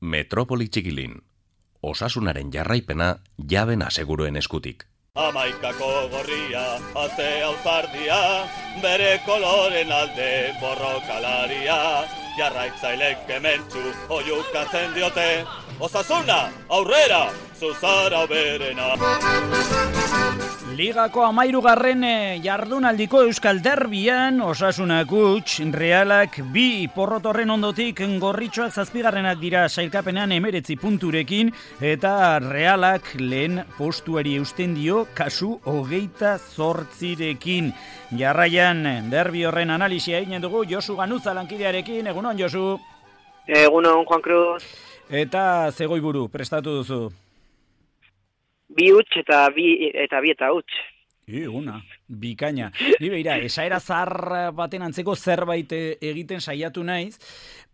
Metropoli Txikilin. Osasunaren jarraipena Jaben Aseguruen eskutik. Amaikako gorria, atzea uzardia, bere koloren alde borrokalaria, jarraitzailek kementsu oiukatzen diote, osasuna, aurrera, zuzara berena. Ligako 13. Jardunaldiko Euskal Derbian Osasunak huts, Realak 2 porrotorren ondotik Gorritxoak 7. dira sailkapenean 19 punturekin eta Realak lehen postuari eusten dio kasu 28rekin. Jarraian derbi horren analisia egin dugu Josu Ganuza lankidearekin. Egunon Josu. Egunon Juan Cruz. Eta Zegoiburu prestatu duzu. 2 huts eta 2 eta huts. Una, bikaina. Ni beira, esaera zahar baten antzeko zerbait egiten saiatu naiz,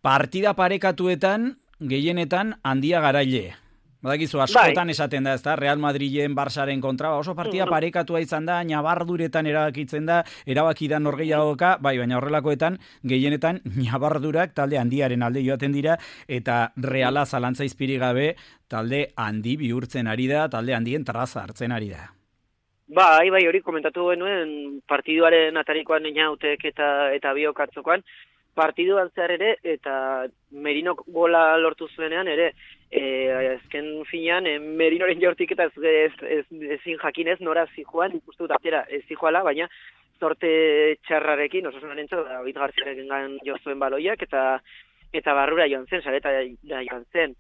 partida parekatuetan, gehienetan handia garaile. Badakizu, askotan esaten da, ezta, Real Madrilen, Barsaren kontra, oso partida parekatua izan da, nabarduretan erabakitzen da, erabaki da norgehiagoka, baina horrelakoetan, gehienetan, nabardurak talde handiaren alde joaten dira, eta Reala zalantza izpirik gabe, talde handi bihurtzen ari da, talde handien traza hartzen ari da. Bai, hori komentatu genuen partiduaren atarikoan inautek eta biokatzokoan, partiduan zehar ere, eta Merinok gola lortu zuenean ere, azken finean, Merinoren jortik eta ezin jakinez nora zijoan, ikustu dut atera zijoala, baina zorte txarrarekin, Osasunaren David Garziarekin gan jo zuen baloiak, eta barrura joan zen, sareta joan zen.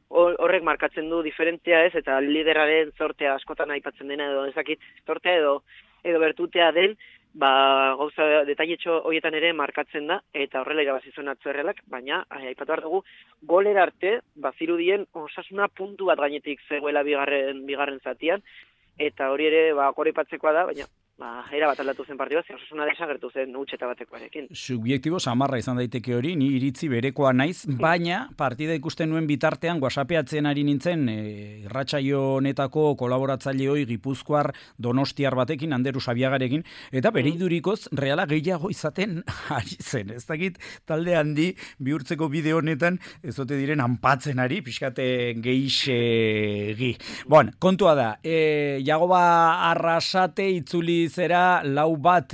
Horrek markatzen du diferentzia ez, eta lideraren zortea askotan aipatzen dena edo ezakit zortea edo bertutea den, gauza detailetxo horietan ere markatzen da, eta horrela irabazi zuen Atzo Errealak, baina aipatu behar dugu, golera arte, bazirudien Osasuna puntu bat gainetik zegoela bigarren zatian, eta hori ere goraipatzekoa da, baina era bat aldatu zen partidua, Osasuna desagertu zen utxeta batekoarekin. Subjektibo samarra izan daiteke hori, ni iritzi berekoa naiz, baina partida ikusten nuen bitartean WhatsAppeatzen ari nintzen irratsaio honetako kolaboratzaileoi Gipuzkoar Donostiar batekin, Anderu Sabiagarekin, eta bere idurikoz Reala gehiago izaten ari zen. Ez dakit talde handi bihurtzeko bideo honetan ez ote diren anpatzen ari, pixkate geixegi. Bueno, kontua da, Jagoba Arrasate itzuli zera lau bat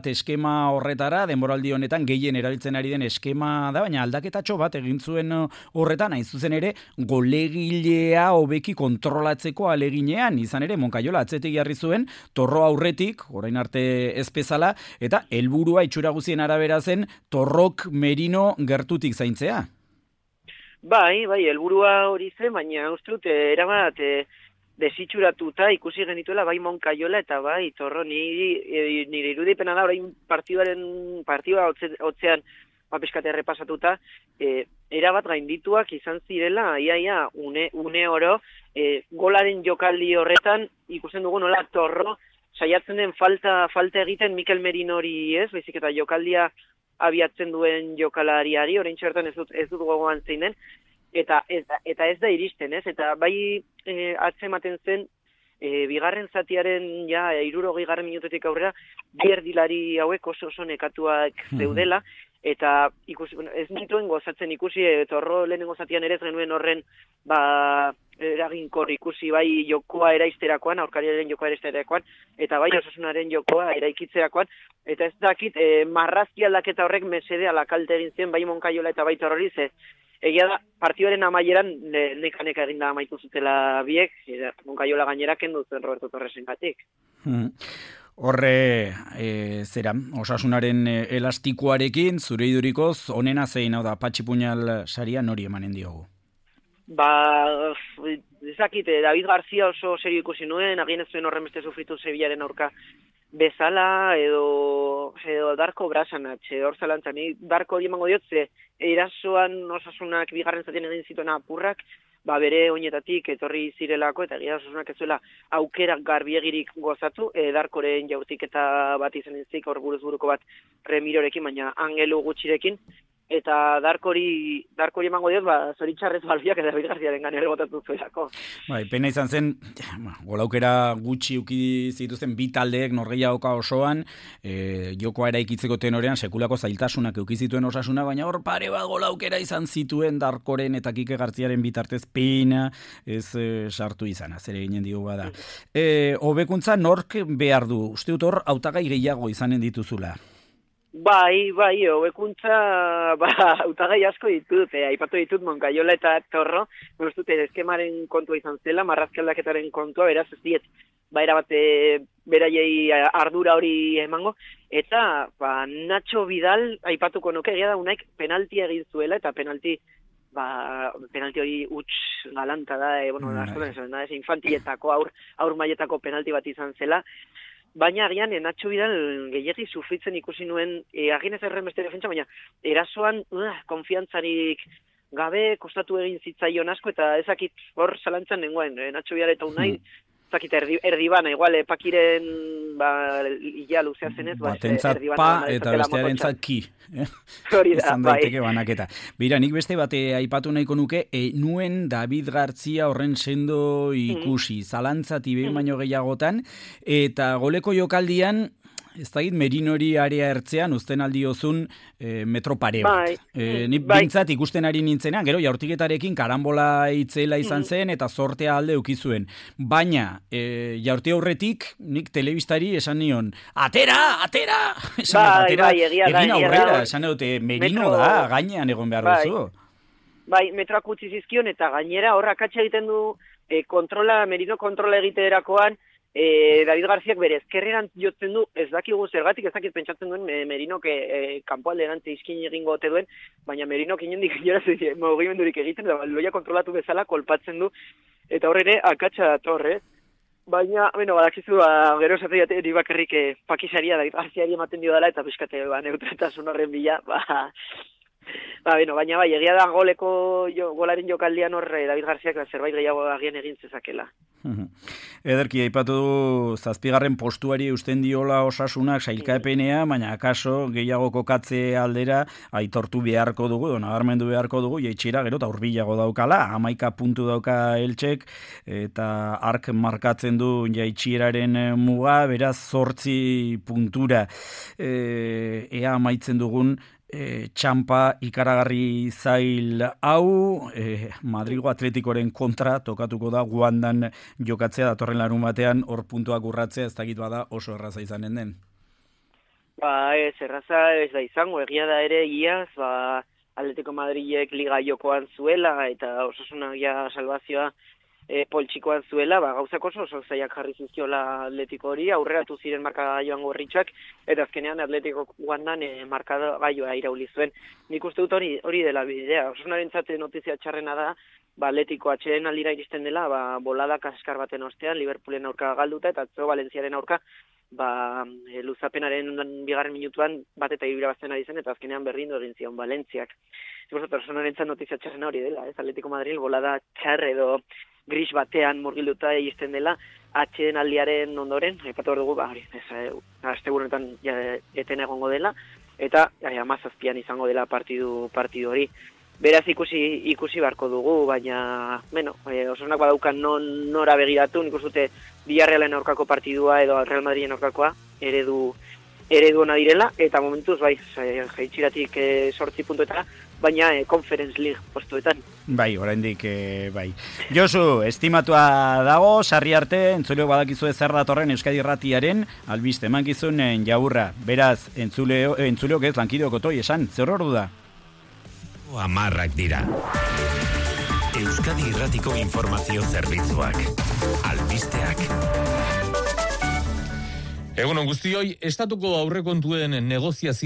eskema horretara, denboraldi honetan gehien erabiltzen ari den eskema da, baina aldaketatxo bat egin zuen horretan, hain zuzen ere, golegilea hobeki kontrolatzeko aleginean, izan ere, Monkaiola atzetik jarri zuen, Torro aurretik, orain arte ez bezala, eta helburua itxura guzien arabera zen, Torrok Merino gertutik zaintzea. Bai, helburua hori zen, baina uste dut, erabat, desitxuratuta ikusi genituela bai Monkaiola eta bai Torro, nire irudipena da orain partidua hotzean pizkate errepasatuta, erabat gaindituak izan zirela, iaia une oro, golaren jokaldi horretan ikusten dugu nola Torro saiatzen den falta egiten Mikel Merinori ez, baizik eta jokaldia abiatzen duen jokalariari, orain txertan ez dut gogoan zein den, eta ez da iristen, ez? Eta bai atzematen zen, bigarren zatiaren 60. minututik aurrera, bi erdilari hauek oso nekatuak zeudela, eta ez nituen gozatzen ikusi, Torro lehenengo zatian ere ez genuen horren eraginkor ikusi bai jokoa eraisterakoan, aurkariaren jokoa eraisterakoan, eta bai Osasunaren jokoa eraikitzerakoan, eta ez dakit marrazki aldaketa horrek mesede alakalte egin zen bai Monkaiola eta bai Torrori, egia da, partioaren amaieran neka eginda amaitu zutela biek, Monkaiola gainera kendu zen Roberto Torresen gatik. Horre, Osasunaren elastikoarekin, zure idurikoz, onena zein hau da, Patxi Puñal saria nori emanen diogu? Ezakit, David García oso serio ikusi nuen, agien ez zuen horren beste sufritu Sevillaren aurka bezala, edo Darko Brasanatx, hor zalantzan, Darko hori emango diot, erasoan Osasunak bigarren zatien egin zituen apurrak, bere oinetatik etorri zirelako, eta egia Osasunak ez zuela aukerak garbiegirik gozatu, Darkoren jautik eta bat izan entzik, hor buruz buruko bat Remirorekin, baina Angelu gutxirekin, eta darkori emango diot, zoritxarrez balbiak eta David Garziaren ganera botatu zuelako. Bai, pena izan zen, golaukera gutxi uki zituzten bi taldeek norgehiagoka osoan, jokoa eraikitzeko tenorean sekulako zailtasunak euki zituen Osasuna, baina hor pare bat golaukera izan zituen Darkoren eta Kike Garziaren bitartez pena ez sartu izana, zer eginen digu bada. Hobekuntza nork behar du? Uste dut hor hautagai gehiago izanen dituzula. Bai, hobekuntza hautagai asko ditut, aipatu ditut Moncayola eta Torro, dute eskemaren kontua izan zela, marrazkialdaketaren kontua, beraz ez diet, erabate beraiei ardura hori emango, eta Nacho Vidal aipatuko nuke, egia da unaik penaltia egin zuela, eta penalti hori huts galanta da, ez infantiletako, aur mailetako penalti bat izan zela, baina agian Nacho Vidal gehiagi sufritzen ikusi nuen, agin ez erren beste defentsa, baina erasoan konfiantzarik gabe kostatu egin zitzaion asko, eta ezakit hor zalantzan nengoen, Nacho Vidal eta Unai, ezakit erdibana, igual Pakiren ia luzea zenez, batentzat pa eta bestearentzat ki. Hori da, daiteke banaketa. Beira, nik beste bate aipatu nahiko nuke, nuen David Gartzia horren sendo ikusi, zalantzati behin baino gehiagotan, eta goleko jokaldian, ez da Merinori area ertzean, uzten aldiozun metro pare bat. Ni bintzat ikusten ari nintzenean, gero jaurtiketarekin karambola itzela izan zen, eta sortea alde ukizuen. Baina, jaurti aurretik, nik telebistari esan nion, atera! Egin aurrera, esan dute, Merino da, gainean egon behar duzu. Bai, metroak utzi zizkion, eta gainera horra katxe egiten du Merino kontrola egiterakoan, David Garziak bere ezkerreran jotzen du, ez dakigu zergatik, ez dakit pentsatzen duen Merinok kanpoalderantz izkin egingo ote duen, baina Merinok inondik inoraz mugimendurik egiten, da loia kontrolatu bezala kolpatzen du, eta horre akatsa datorre. Baina, badakizu, gero esate eri bakarrik pakisaria David Garziari ematen dio dela, eta pixkate neutraltasun horren bila, baina egia da golaren jokaldian hor David Garziak zerbait gehiago agian egin zezakela. Ederki, aipatu du zazpigarren postuari eusten diola Osasunak sailkapenea, baina akaso gehiago kokatze aldera aitortu beharko dugu, nabarmendu beharko dugu, jaitsira gero eta hurbilago daukala, 11 puntu dauka Eltsek, eta ark markatzen du jaitsieraren muga, beraz 8 puntura ea amaitzen dugun txampa ikaragarri zail hau, Madrigo Atletikoren kontra tokatuko da Guandan jokatzea datorren larun batean, hor puntuak urratzea, ez dakit bada oso erraza izanen den. Ez erraza ez da izango, egia da ere iaz, Atletico Madrilek liga jokoan zuela, eta Osasuna salvazioa poltsikoan zuela, gauzak oso zaiak jarri zizkiola Atletico hori, aurreratu ziren markagailuan gorritxak, eta azkenean Atletico Guandan markagailoa irauli zuen. Nik uste dut hori dela bidea. Osasunaren notizia txarrena da, Atletico atxeden aldira iristen dela, bolada kaskar baten ostean, Liverpoolen aurka galduta, eta atzo Valentziaren aurka, luzapenaren 2. minutuan bat eta irabazten ari zen, eta azkenean berdindu egin zion Valentziak. Osasunaren notizia txarrena hori dela, Atletico Madrid bolada txar edo gris batean murgilduta egiten dela atxeden aldiaren ondoren, aipatu hor dugu, asteburunetan eten egongo dela, eta 17an izango dela partidu hori. Beraz ikusi beharko dugu, baina, Osasunak badaukan nora begiratu, nik uste Villarrealen aurkako partidua edo Real Madriden aurkakoa eredu ona direla, eta momentuz, jaitsiratik 8 puntuetara, baina Conference League postuetan. Bai, oraindik bai. Josu, estimatua dago, sarri arte, entzuleo badakizu zer datorren Euskadi Irratiaren, albiste emankizunen jaurra. Beraz, entzuleok ez lankideok otoi esan, zer ordu da? Amarrak dira. Euskadi Irratiko informazio zerbitzuak. Albisteak. Egunon guztioi, estatuko aurrekontuen negoziazio